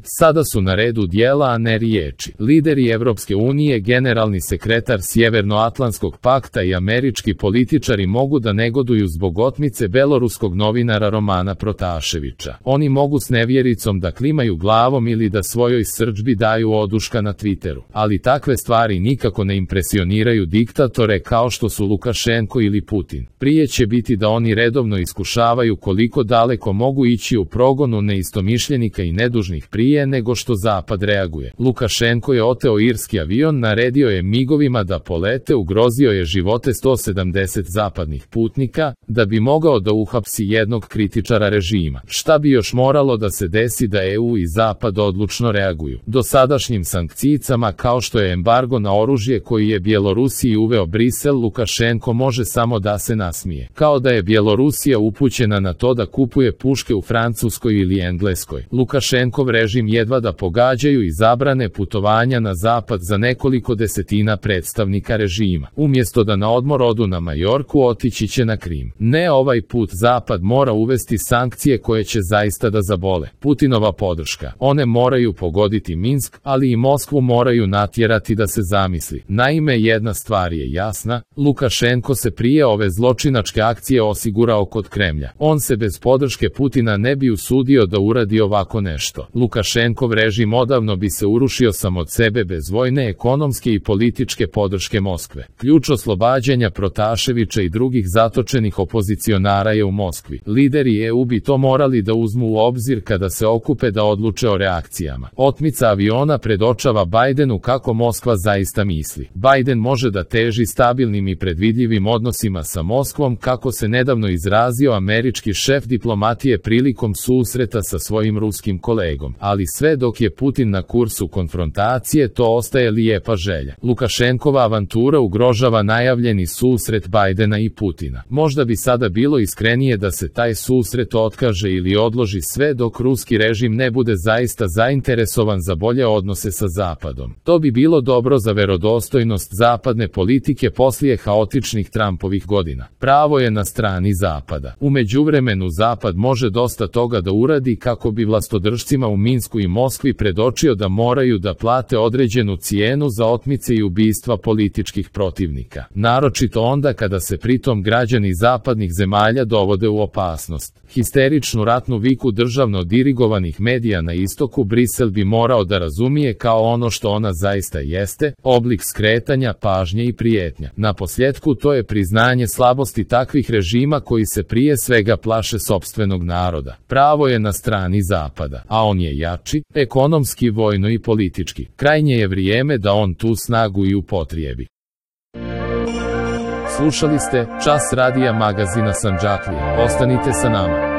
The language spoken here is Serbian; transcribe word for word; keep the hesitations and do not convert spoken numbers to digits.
Sada su na redu djela, a ne riječi. Lideri Evropske unije, generalni sekretar Sjevernoatlantskog pakta i američki političari mogu da negoduju zbog otmice beloruskog novinara Romana Protaševića. Oni mogu s nevjericom da klimaju glavom ili da svojoj srdžbi daju oduška na Twitteru. Ali takve stvari nikako ne impresioniraju diktatore kao što su Lukašenko ili Putin. Prije će biti da oni redovno iskušavaju koliko daleko mogu ići u progonu neistomišljenika i nedužnih prije nego što Zapad reaguje. Lukašenko je oteo irski avion, naredio je migovima da polete, ugrozio je živote sto sedamdeset zapadnih putnika, da bi mogao da uhapsi jednog kritičara režima. Šta bi još moralo da se desi da E U i Zapad odlučno reaguju? Dosadašnjim sankcijama, kao što je embargo na oružje koji je Bjelorusiji uveo Brisel, Lukašenko može samo da se nasmije. Kao da je Bjelorusija upućena na to da kupuje puške u Francuskoj ili Engleskoj. Lukašenkov režim jedva da pogađaju i zabrane putovanja na zapad za nekoliko desetina predstavnika režima. Umjesto da na odmor odu na Majorku, otići će na Krim. Ne, ovaj put Zapad mora uvesti sankcije koje će zaista da zabole. Putinova podrška. One moraju pogoditi Minsk, ali i Moskvu moraju natjerati da se zamisli. Naime, jedna stvar je jasna, Lukašenko se prije ove zločinačke akcije osigurao kod Kremlja. On se bez podrške Putina ne bi usudio da uradi ovako nešto. Lukašenkov režim odavno bi se urušio sam od sebe bez vojne, ekonomske i političke podrške Moskve. Ključ oslobađanja Protaševića i drugih zatočenih opozicionara je u Moskvi. Lideri E U bi to morali da uzmu u obzir kada se okupe da odluče o reakcijama. Otmica aviona predočava Bajdenu kako Moskva zaista misli. Bajden može da teži stabilnim i predvidljivim odnosima sa Moskvom, kako se nedavno izrazio američki šef diplomatije prilikom susreta sa svojim ruskim kolegom. Ali sve dok je Putin na kursu konfrontacije, to ostaje lijepa želja. Lukašenkova avantura ugrožava najavljeni susret Bajdena i Putina. Možda bi sada bilo iskrenije da se taj susret otkaže ili odloži sve dok ruski režim ne bude zaista zainteresovan za bolje odnose sa Zapadom. To bi bilo dobro za verodostojnost zapadne politike poslije haotičnih Trumpovih godina. Pravo je na strani Zapada. U međuvremenu Zapad može dosta toga da uradi kako bi vlastodržcima u Minsku i Moskvi predočio da moraju da plate određenu cijenu za otmice i ubistva političkih protivnika. Naročito onda kada se pritom građani zapadnih zemalja dovode u opasnost. Histeričnu ratnu viku državno dirigovanih medija na istoku Brisel bi morao da razumije kao ono što ona zaista jeste, oblik skretanja, pažnje i prijetnja. Na posljedku to je priznanje slabosti takvih režima koji se prije svega plaše sopstvenog naroda. Pravo je na strani Zapada, a on je jači, ekonomski, vojno i politički. Krajnje je vrijeme da on tu snagu i upotrijebi. Slušali ste Čas radija magazina Sandžaklije. Ostanite sa nama.